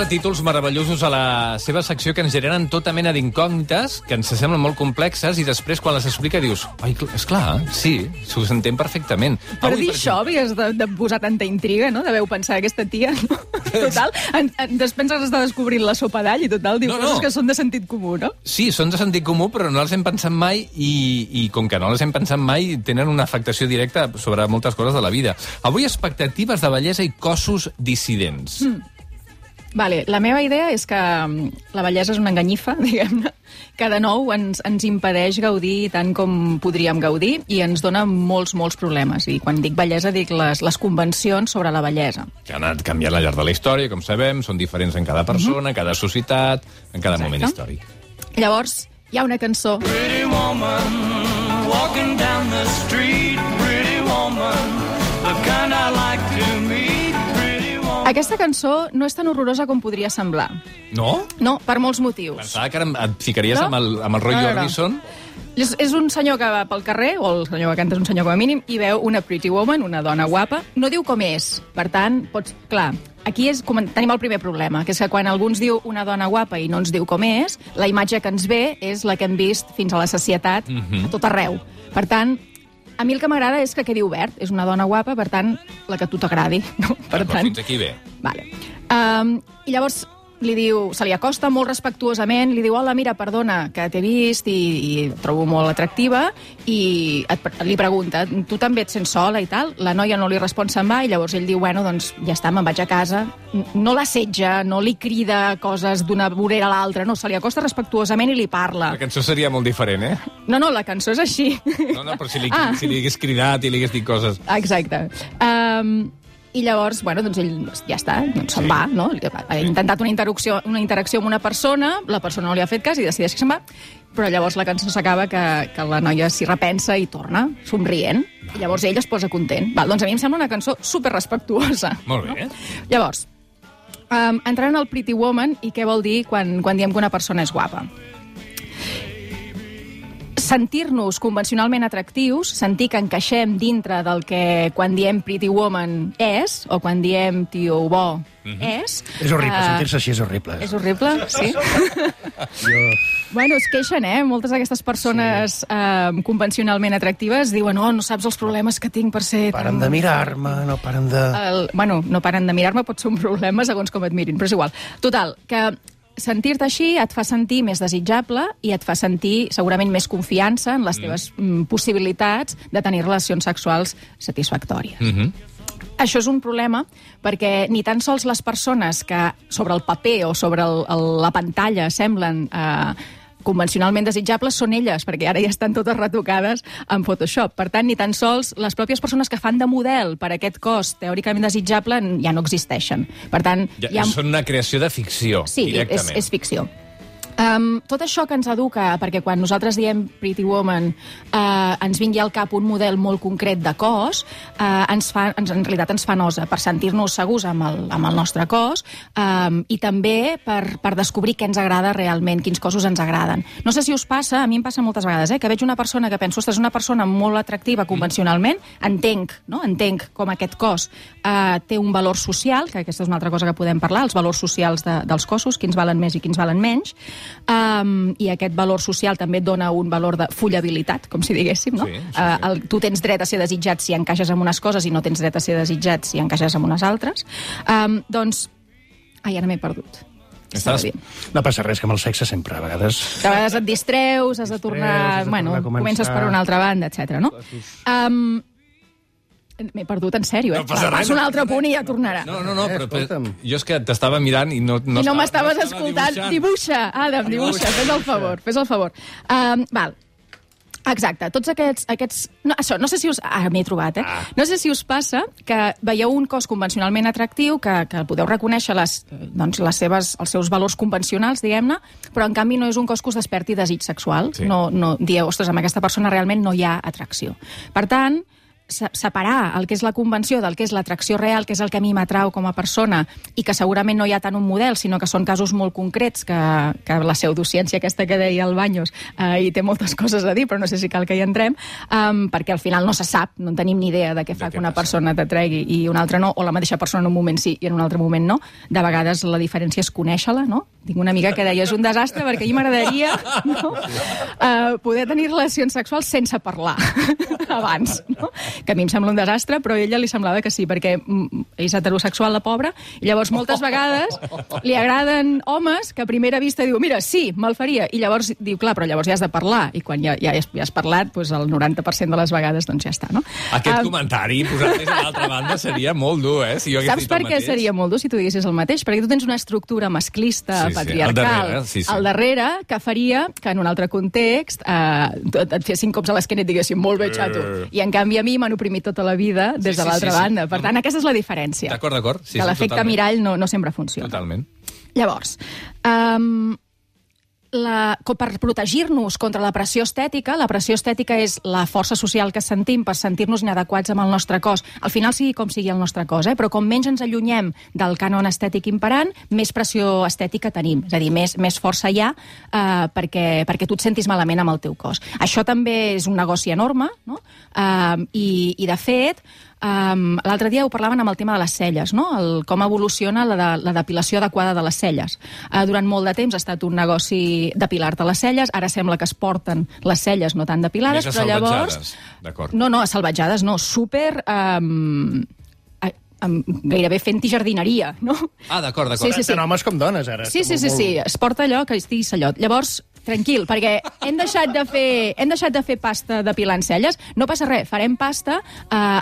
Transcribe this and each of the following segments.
posa títols meravellosos a la seva secció que ens generen tota mena d'incògnites, que ens semblen molt complexes, i després, quan les explica, dius, ai, esclar, sí, s'ho s'entén perfectament. Per dir això havies de posar tanta intriga, no?, de veu pensar aquesta tia, no? Total, després has de descobrir la sopa d'all i total, diu coses que són de sentit comú, no? Sí, són de sentit comú, però no les hem pensat mai i com que no les hem pensat mai, tenen una afectació directa sobre moltes coses de la vida. Avui, expectatives de bellesa i cossos dissidents. Vale, la meva idea és que la bellesa és una enganyifa, diguem-ne, que de nou ens impedeix gaudir tant com podríem gaudir i ens dona molts problemes. I quan dic bellesa dic les convencions sobre la bellesa. Que han anat canviant al llarg de la història, com sabem, són diferents en cada persona, en cada societat, en cada moment històric. Llavors, hi ha una cançó... Pretty woman, walking down the street, pretty woman, the kind I like to meet. Aquesta cançó no és tan horrorosa com podria semblar. No? No, per molts motius. Pensava que et ficaries amb el Roy Orbison. És un senyor que va pel carrer, o el senyor que canta és un senyor com a mínim, i veu una pretty woman, una dona guapa. No diu com és. Per tant, clar, aquí tenim el primer problema, que és que quan algú ens diu una dona guapa i no ens diu com és, la imatge que ens ve és la que hem vist fins a la sacietat a tot arreu. Per tant, a mi el que m'agrada és que quedi obert. És una dona guapa, per tant, la que a tu t'agradi. No? Però fins aquí bé. Vale. I llavors li diu, se li acosta molt respectuosament, li diu, hola, mira, perdona, que t'he vist i et trobo molt atractiva, i li pregunta, tu també et sents sola i tal? La noia no li respon, se'n va, i llavors ell diu, bueno, doncs ja està, me'n vaig a casa. No l'assetja, no li crida coses d'una vorera a l'altra, no, se li acosta respectuosament i li parla. La cançó seria molt diferent, eh? No, la cançó és així. No, però si li hagués cridat i li hagués dit coses... Exacte. I llavors, bueno, doncs ell ja està, doncs se'n va, no? Ha intentat una interacció amb una persona, la persona no li ha fet cas i decideix que se'n va, però llavors la cançó s'acaba que la noia s'hi repensa i torna, somrient, i llavors ell es posa content. Doncs a mi em sembla una cançó superrespectuosa. Molt bé. No? Llavors, entrant al Pretty Woman, i què vol dir quan diem que una persona és guapa? Sentir-nos convencionalment atractius, sentir que encaixem dintre del que quan diem pretty woman és, o quan diem tio bo és... És horrible, sentir-se així és horrible. És horrible, sí? Bueno, es queixen, moltes d'aquestes persones convencionalment atractives diuen, no saps els problemes que tinc per ser... Paren de mirar-me, no paren de... Bueno, no paren de mirar-me, pot ser un problema segons com et mirin, però és igual. Total, que... sentir-te així et fa sentir més desitjable i et fa sentir segurament més confiança en les teves possibilitats de tenir relacions sexuals satisfactòries. Això és un problema perquè ni tan sols les persones que sobre el paper o sobre la pantalla semblen convencionalment desitjables són elles, perquè ara ja estan totes retocades en Photoshop. Per tant, ni tan sols les pròpies persones que fan de model per a aquest cos teòricament desitjable ja no existeixen. Per tant, són una creació de ficció, directament. Sí, és ficció. Tot això que ens educa, perquè quan nosaltres diem Pretty Woman ens vingui al cap un model molt concret de cos, en realitat ens fa nosa per sentir-nos segurs amb el nostre cos i també per descobrir què ens agrada realment, quins cossos ens agraden. No sé si us passa, a mi em passa moltes vegades, que veig una persona que penso, ostres, és una persona molt atractiva convencionalment, entenc com aquest cos té un valor social, que aquesta és una altra cosa que podem parlar, els valors socials dels cossos, quins valen més i quins valen menys, i aquest valor social també et dona un valor de follabilitat, com si diguéssim, no? Sí. Tu tens dret a ser desitjat si encaixes en unes coses i no tens dret a ser desitjat si encaixes en unes altres. Doncs... Ai, ara m'he perdut. No passa res, que amb el sexe sempre, a vegades... A vegades et distreus, has de tornar... Bueno, comences per una altra banda, etc. no? M'he perdut, en sèrio, No passa res. Passa un altre punt i ja tornarà. No, però jo és que t'estava mirant i no I no m'estaves escoltant. Dibuixa, Adam, dibuixa. Fes el favor. Val. Exacte, tots aquests... No, això, no sé si us... m'he trobat, No sé si us passa que veieu un cos convencionalment atractiu, que podeu reconèixer els seus valors convencionals, diguem-ne, però en canvi no és un cos que us desperti desig sexual. Sí. No dieu, ostres, amb aquesta persona realment no hi ha atracció. Per tant, separar el que és la convenció del que és l'atracció real, que és el que a mi m'atrau com a persona, i que segurament no hi ha tant un model, sinó que són casos molt concrets, que la pseudociència aquesta que deia el Baños hi té moltes coses a dir, però no sé si cal que hi entrem, perquè al final no se sap, no en tenim ni idea de què fa que una persona t'atregui i una altra no, o la mateixa persona en un moment sí i en un altre moment no. De vegades la diferència és conèixer-la, no? Tinc una amiga que deia, és un desastre perquè a mi m'agradaria poder tenir relacions sexuals sense parlar abans, no? Que a mi em sembla un desastre, però a ella li semblava que sí, perquè és heterosexual, la pobra, i llavors moltes vegades li agraden homes que a primera vista diu, mira, sí, me'l faria, i llavors diu, clar, però llavors ja has de parlar, i quan ja has parlat, doncs el 90% de les vegades doncs ja està, no? Aquest comentari, posat des de l'altra banda, seria molt dur, Si jo saps per què seria molt dur si tu diguessis el mateix? Perquè tu tens una estructura masclista, patriarcal, al darrere, que faria que en un altre context et fessin cops a l'esquena i et diguessin, molt bé, xato. I en canvi a mi m'han oprimit tota la vida des de l'altra banda. Per tant, aquesta és la diferència. D'acord. Que l'efecte mirall no sempre funciona. Totalment. Llavors, per protegir-nos contra la pressió estètica és la força social que sentim per sentir-nos inadequats amb el nostre cos. Al final sigui com sigui el nostre cos, però com menys ens allunyem del cànon estètic imperant, més pressió estètica tenim. És a dir, més força hi ha perquè tu et sentis malament amb el teu cos. Això també és un negoci enorme, no? I de fet, l'altre dia ho parlaven amb el tema de les celles, no? Com evoluciona la depilació adequada de les celles. Durant molt de temps ha estat un negoci depilar-te les celles, ara sembla que es porten les celles no tan depilades, però llavors... No, salvatjades no, súper... gairebé fent-hi jardineria, no? D'acord. Sí. Tant homes com dones, ara. Sí, es porta allò que estigui sallot. Llavors, tranquil, perquè hem deixat de fer pasta depilant celles. No passa res, farem pasta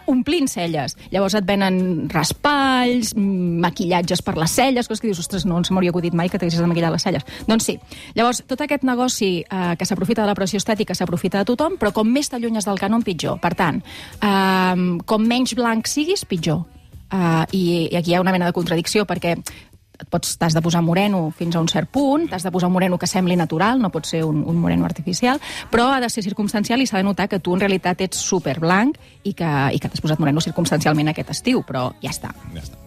omplint celles. Llavors et venen raspalls, maquillatges per les celles, coses que dius, ostres, no ens m'hauria acudit mai que t'haguessis de maquillar les celles. Doncs sí. Llavors, tot aquest negoci que s'aprofita de la pressió estètica s'aprofita de tothom, però com més t'allunyes del cànon, pitjor. Per tant, com menys blanc siguis, pitjor. I aquí hi ha una mena de contradicció, perquè t'has de posar moreno fins a un cert punt, t'has de posar un moreno que sembli natural, no pot ser un moreno artificial, però ha de ser circumstancial i s'ha de notar que tu en realitat ets superblanc i que t'has posat moreno circumstancialment aquest estiu, però ja està.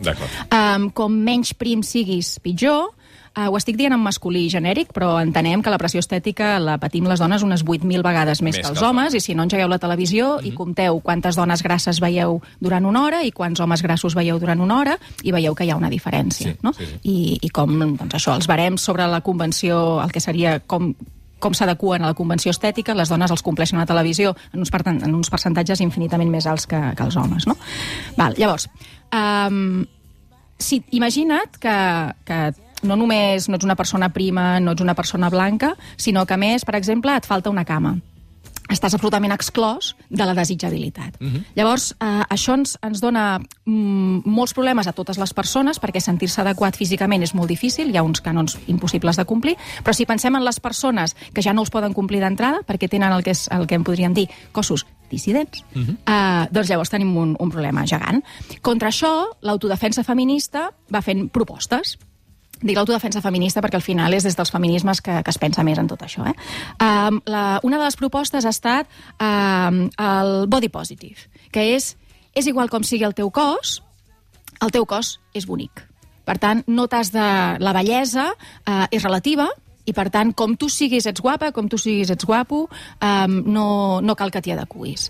D'acord. Com menys prim siguis, pitjor. Ho estic dient en masculí genèric, però entenem que la pressió estètica la patim les dones unes 8.000 vegades més que els homes, i si no engegueu la televisió i compteu quantes dones grasses veieu durant una hora i quants homes grassos veieu durant una hora, i veieu que hi ha una diferència, no? I com, doncs això, els barems sobre la convenció, el que seria com s'adequen a la convenció estètica, les dones els compleixen a la televisió en uns percentatges infinitament més alts que els homes, no? Llavors, imagina't que no només no ets una persona prima, no ets una persona blanca, sinó que, a més, per exemple, et falta una cama. Estàs absolutament exclòs de la desitjabilitat. Llavors, això ens dona molts problemes a totes les persones, perquè sentir-se adequat físicament és molt difícil, hi ha uns cànons impossibles de complir, però si pensem en les persones que ja no els poden complir d'entrada, perquè tenen el que en podríem dir cossos dissidents, doncs llavors tenim un problema gegant. Contra això, l'autodefensa feminista va fent propostes. Dic l'autodefensa feminista perquè al final és des dels feminismes que es pensa més en tot això. Una de les propostes ha estat el body positive, que és igual com sigui el teu cos és bonic. Per tant, no t'has de... La bellesa és relativa, i per tant, com tu siguis ets guapa, com tu siguis ets guapo, no cal que t'hi adequis.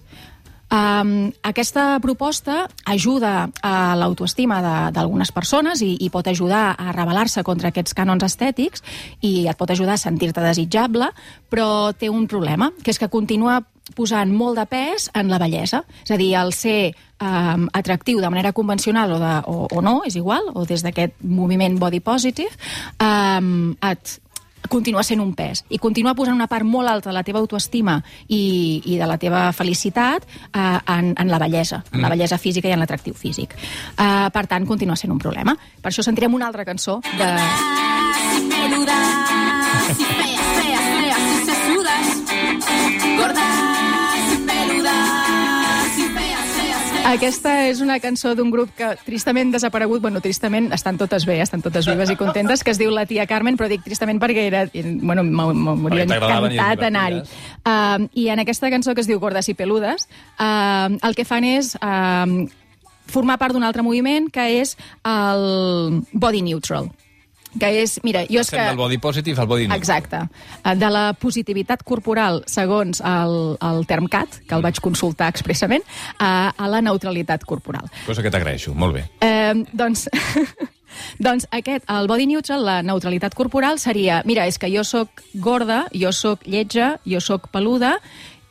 Aquesta proposta ajuda a l'autoestima d'algunes persones i pot ajudar a rebel·lar-se contra aquests cànons estètics i et pot ajudar a sentir-te desitjable, però té un problema, que és que continua posant molt de pes en la bellesa. És a dir, el ser atractiu de manera convencional o no, és igual, o des d'aquest moviment body positive, continua sent un pes i continua posant una part molt alta de la teva autoestima i de la teva felicitat en la bellesa, en la bellesa física i en l'atractiu físic. Per tant, continua sent un problema. Per això sentirem una altra cançó de... Peludas y feas, feas, feas y sesudas, gordas y peludas y feas, feas, feas. Aquesta és una cançó d'un grup que tristament desaparegut, bueno, tristament, estan totes bé, estan totes vives i contentes, que es diu La Tia Carmen, però dic tristament perquè m'hauria encantat anar-hi. I en aquesta cançó que es diu Gordes i Peludes, el que fan és formar part d'un altre moviment que és el body neutral. Que és, mira, jo és que... del body positive al body neutral. Exacte. De la positivitat corporal, segons el TermCat, que el vaig consultar expressament, a la neutralitat corporal. Cosa que t'agraeixo, molt bé. Doncs el body neutral, la neutralitat corporal, seria, mira, és que jo sóc gorda, jo sóc lletja, jo sóc peluda,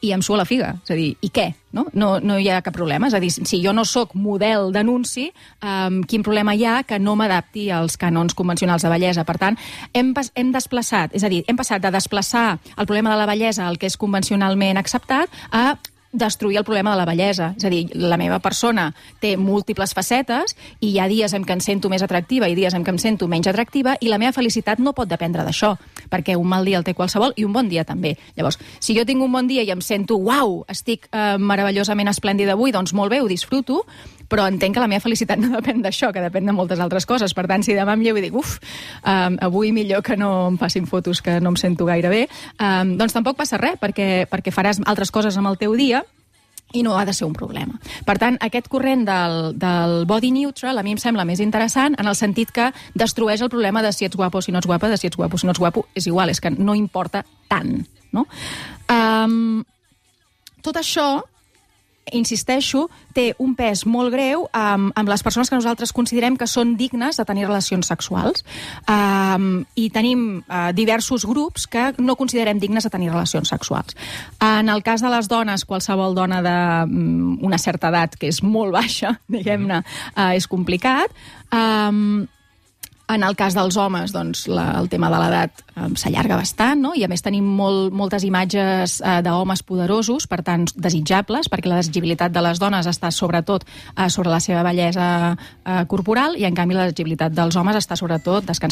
i em sua la figa. És a dir, i què? No hi ha cap problema. És a dir, si jo no sóc model d'anunci, quin problema hi ha que no m'adapti als cànons convencionals de bellesa? Per tant, hem desplaçat, és a dir, hem passat de desplaçar el problema de la bellesa, el que és convencionalment acceptat, a destruir el problema de la bellesa. És a dir, la meva persona té múltiples facetes i hi ha dies en què em sento més atractiva i dies en què em sento menys atractiva i la meva felicitat no pot dependre d'això, perquè un mal dia el té qualsevol i un bon dia també. Llavors, si jo tinc un bon dia i em sento, uau, estic meravellosament esplèndida avui, doncs molt bé, ho disfruto, però entenc que la meva felicitat no depèn d'això, que depèn de moltes altres coses. Per tant, si demà em llevo i dic, avui millor que no em facin fotos que no em sento gaire bé, doncs tampoc passa res, perquè faràs altres coses amb el teu dia i no ha de ser un problema. Per tant, aquest corrent del body neutral a mi em sembla més interessant en el sentit que destrueix el problema de si ets guapo o si no ets guapa, de si ets guapo o si no ets guapo, és igual, és que no importa tant, no? Tot això, insisteixo, té un pes molt greu amb les persones que nosaltres considerem que són dignes de tenir relacions sexuals. I tenim diversos grups que no considerem dignes de tenir relacions sexuals. En el cas de les dones, qualsevol dona d'una certa edat, que és molt baixa, diguem-ne, és complicat. En el cas dels homes, doncs, el tema de l'edat s'allarga bastant, no? I a més tenim moltes imatges d'homes poderosos, per tant, desitjables, perquè la desitjabilitat de les dones està sobretot sobre la seva bellesa corporal i, en canvi, la desitjabilitat dels homes descansa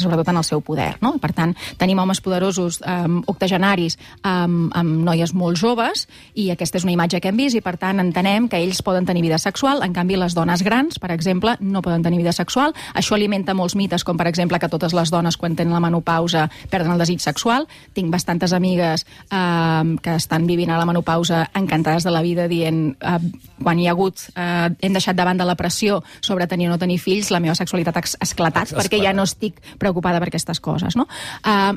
sobretot en el seu poder, no? Per tant, tenim homes poderosos octogenaris amb noies molt joves i aquesta és una imatge que hem vist i, per tant, entenem que ells poden tenir vida sexual, en canvi, les dones grans, per exemple, no poden tenir vida sexual. Això alimenta molts mites, com per exemple que totes les dones quan tenen la menopausa perden el desig sexual. Tinc bastantes amigues que estan vivint a la menopausa encantades de la vida dient quan hi ha hagut hem deixat de banda la pressió sobre tenir o no tenir fills, la meva sexualitat ha esclatat perquè ja no estic preocupada per aquestes coses, no?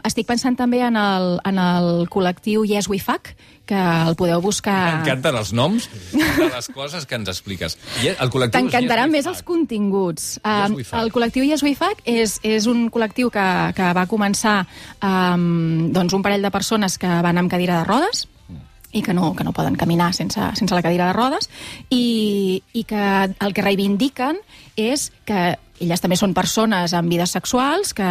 Estic pensant també en el col·lectiu Yes We Fuck, que el podeu buscar... M'encanten els noms de les coses que ens expliques. T'encantaran més els continguts. El col·lectiu Yes We Fuck és un col·lectiu que va començar un parell de persones que van amb cadira de rodes i que no poden caminar sense la cadira de rodes i que el que reivindiquen és que elles també són persones amb vides sexuals que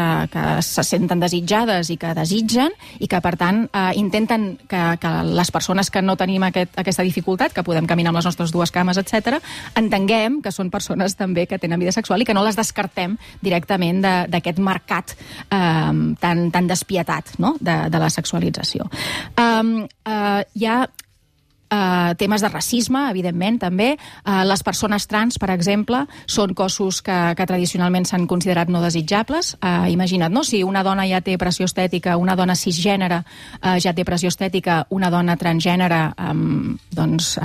se senten desitjades i que desitgen i que, per tant, intenten que les persones que no tenim aquesta dificultat, que podem caminar amb les nostres dues cames, etc., entenguem que són persones també que tenen vida sexual i que no les descartem directament d'aquest mercat tan despietat, no?, de la sexualització. Hi ha temes de racisme, evidentment, també. Les persones trans, per exemple, són cossos que tradicionalment s'han considerat no desitjables. Imagina't, no?, si una dona ja té pressió estètica, una dona cisgènere ja té pressió estètica, una dona transgènere, doncs...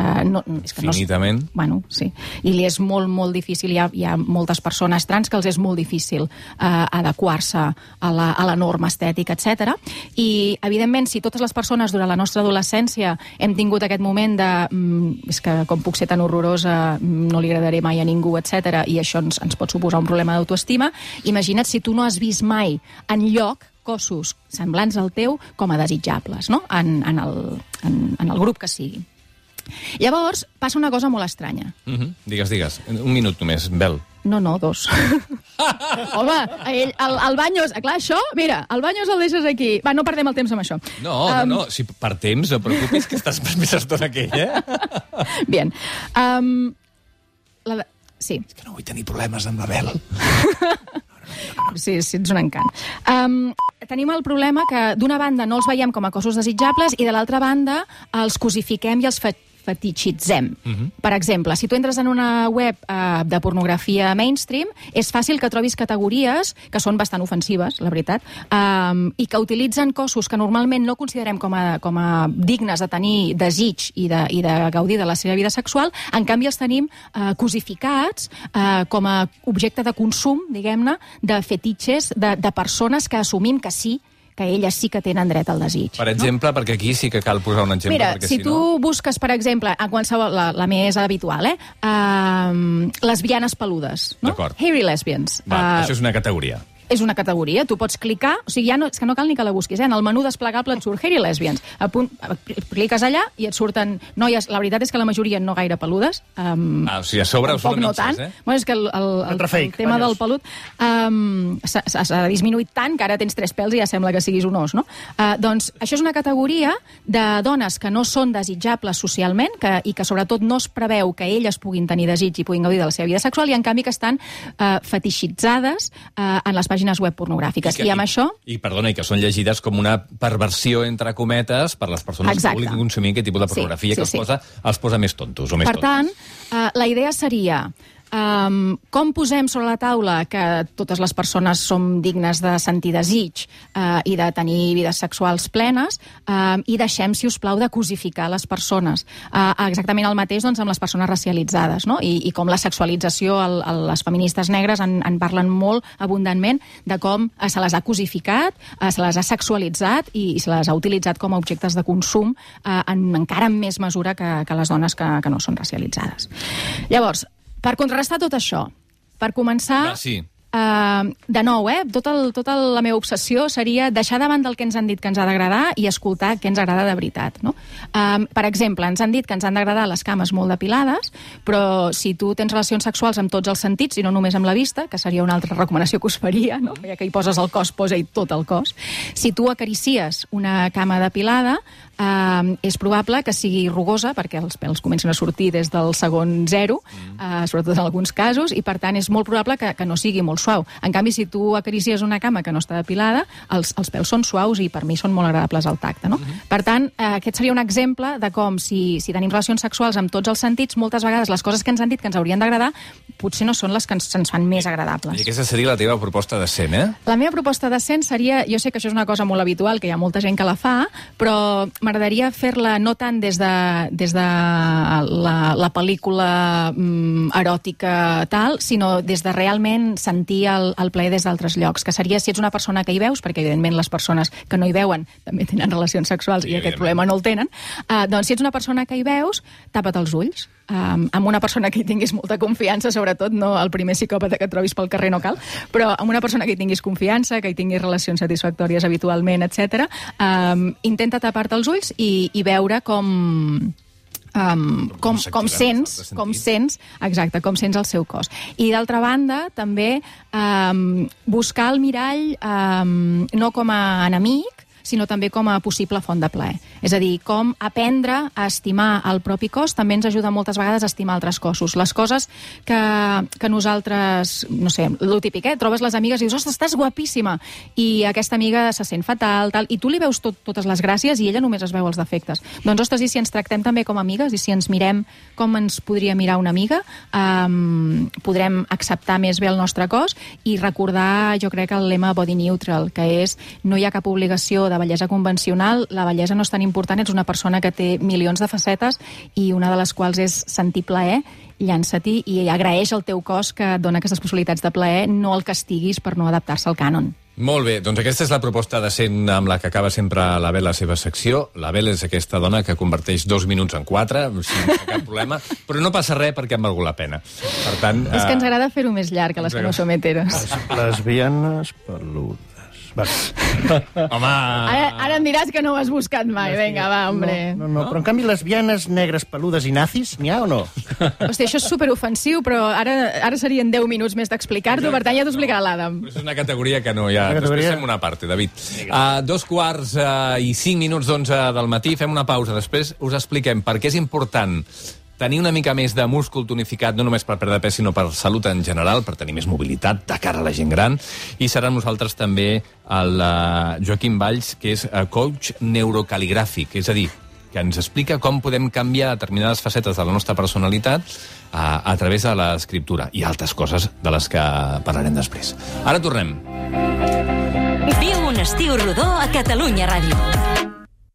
Finitament. Bueno, sí. I li és molt, molt difícil. Hi ha moltes persones trans que els és molt difícil adequar-se a la norma estètica, etc. I, evidentment, si totes les persones durant la nostra adolescència hem tingut aquest moment és que com puc ser tan horrorosa, no li agradaré mai a ningú, etc. I això ens pot suposar un problema d'autoestima. Imagina't si tu no has vist mai enlloc cossos semblants al teu com a desitjables, no?, en el grup que sigui. Llavors, passa una cosa molt estranya. Digues. Un minut només, Bel. No, 2. Home, el Baños... Clar, això, mira, el Baños el deixes aquí. Va, no perdem el temps amb això. No, si per temps, no preocupis, que estàs més estona que ell, Bien. Sí. És que no vull tenir problemes amb la Bel. Sí, ets un encant. Tenim el problema que, d'una banda, no els veiem com a cossos desitjables i, de l'altra banda, els cosifiquem i els fetitxitzem. Per exemple, si tu entres en una web de pornografia mainstream, és fàcil que trobis categories que són bastant ofensives, la veritat, i que utilitzen cossos que normalment no considerem com a dignes de tenir desig i de gaudir de la seva vida sexual. En canvi, els tenim cosificats com a objecte de consum, diguem-ne, de fetitxes, de persones que assumim que sí, que elles sí que tenen dret al desig. Per exemple, perquè aquí sí que cal posar un exemple. Mira, perquè si tu busques, per exemple, en qualsevol, la més habitual, lesbianes peludes, no? D'acord. Hairy lesbians. Això és una categoria. És una categoria, tu pots clicar, o sigui, és que no cal ni que la busquis, en el menú desplegable et surt Hairy Lesbians, cliques allà i et surten noies, la veritat és que la majoria no gaire peludes. O sigui, a sobre us poc surten no tant. Bueno, és que el tema del pelut s'ha disminuït tant que ara tens 3 pèls i ja sembla que siguis un os, no? Doncs això és una categoria de dones que no són desitjables socialment i que sobretot no es preveu que elles puguin tenir desig i puguin gaudir de la seva vida sexual i en canvi que estan fetixitzades en les pàgines web pornogràfiques. I amb això... I que són llegides com una perversió, entre cometes, per les persones que vulguin consumir aquest tipus de pornografia que els posa més tontos o més tontos. Per tant, la idea seria... com posem sobre la taula que totes les persones som dignes de sentir desig i de tenir vides sexuals plenes i deixem, si us plau, de cosificar les persones. Exactament el mateix amb les persones racialitzades, no? I com la sexualització, les feministes negres en parlen molt abundantment de com se les ha cosificat, se les ha sexualitzat i se les ha utilitzat com a objectes de consum encara en més mesura que les dones que no són racialitzades. Llavors, per contrarrestar tot això, per començar... de nou, tota la meva obsessió seria deixar davant del que ens han dit que ens ha d'agradar i escoltar què ens agrada de veritat. No? Per exemple, ens han dit que ens han d'agradar les cames molt depilades, però si tu tens relacions sexuals amb tots els sentits i no només amb la vista, que seria una altra recomanació que us faria, no? Ja que hi poses el cos, posa-hi tot el cos. Si tu acaricies una cama depilada, és probable que sigui rugosa, perquè els pèls comencen a sortir des del segon 0, sobretot en alguns casos, i per tant és molt probable que no sigui molt suau. En canvi, si tu acaricies una cama que no està depilada, els pèls són suaus i per mi són molt agradables al tacte. No? Per tant, aquest seria un exemple de com si tenim relacions sexuals amb tots els sentits, moltes vegades les coses que ens han dit que ens haurien d'agradar potser no són les que ens fan més agradables. I aquesta seria la teva proposta decent, La meva proposta decent seria, jo sé que això és una cosa molt habitual, que hi ha molta gent que la fa, però m'agradaria fer-la no tant des de la pel·lícula eròtica tal, sinó des de realment sentir el plaer des d'altres llocs, que seria si ets una persona que hi veus, perquè evidentment les persones que no hi veuen també tenen relacions sexuals i aquest problema no el tenen, doncs si ets una persona que hi veus, tapa't els ulls. Amb una persona que hi tinguis molta confiança, sobretot no el primer psicòpata que et trobis pel carrer no cal, però amb una persona que hi tinguis confiança, que hi tinguis relacions satisfactòries habitualment, etc. Intenta tapar-te els ulls i veure com sents el seu cos. I d'altra banda, també buscar el mirall no com a enemic, sinó també com a possible font de plaer. És a dir, com aprendre a estimar el propi cos també ens ajuda moltes vegades a estimar altres cossos. Les coses que nosaltres, no sé, lo típic, trobes les amigues i dius, ostres, estàs guapíssima, i aquesta amiga se sent fatal, tal, i tu li veus totes les gràcies i ella només es veu els defectes. Doncs, ostres, i si ens tractem també com amigues i si ens mirem com ens podria mirar una amiga, podrem acceptar més bé el nostre cos i recordar, jo crec, el lema body neutral, que és no hi ha cap obligació de bellesa convencional, la bellesa no és tan important, ets una persona que té milions de facetes i una de les quals és sentir plaer, llança-t'hi i agraeix al teu cos que et dona aquestes possibilitats de plaer, no el castiguis per no adaptar-se al cànon. Molt bé, doncs aquesta és la proposta decent amb la que acaba sempre la Bel la seva secció. La Bel és aquesta dona que converteix 2 minuts en 4, sense cap problema, però no passa res perquè han valgut la pena. Per tant... És que ens agrada fer-ho més llarg, que les que no som heteros. Lesbianes peludes. Home... Ara em diràs que no ho has buscat mai. Vinga, va, hombre. No, però en canvi lesbianes negres peludes i nazis, n'hi ha o no? Hòstia, això és superofensiu, però ara serien 10 minuts més d'explicar-t'ho, per tant ja t'ho explicarà l'Adam. És una categoria que no hi ha. Després fem una part, David. 2:45 del matí, fem una pausa. Després us expliquem per què és important tenir una mica més de múscul tonificat, no només per perdre pes, sinó per salut en general, per tenir més mobilitat de cara a la gent gran. I serà amb nosaltres també el Joaquim Valls, que és coach neurocal·ligràfic, és a dir, que ens explica com podem canviar determinades facetes de la nostra personalitat a través de l'escriptura i altres coses de les que parlarem després. Ara tornem. Viu un estiu rodó a Catalunya Ràdio.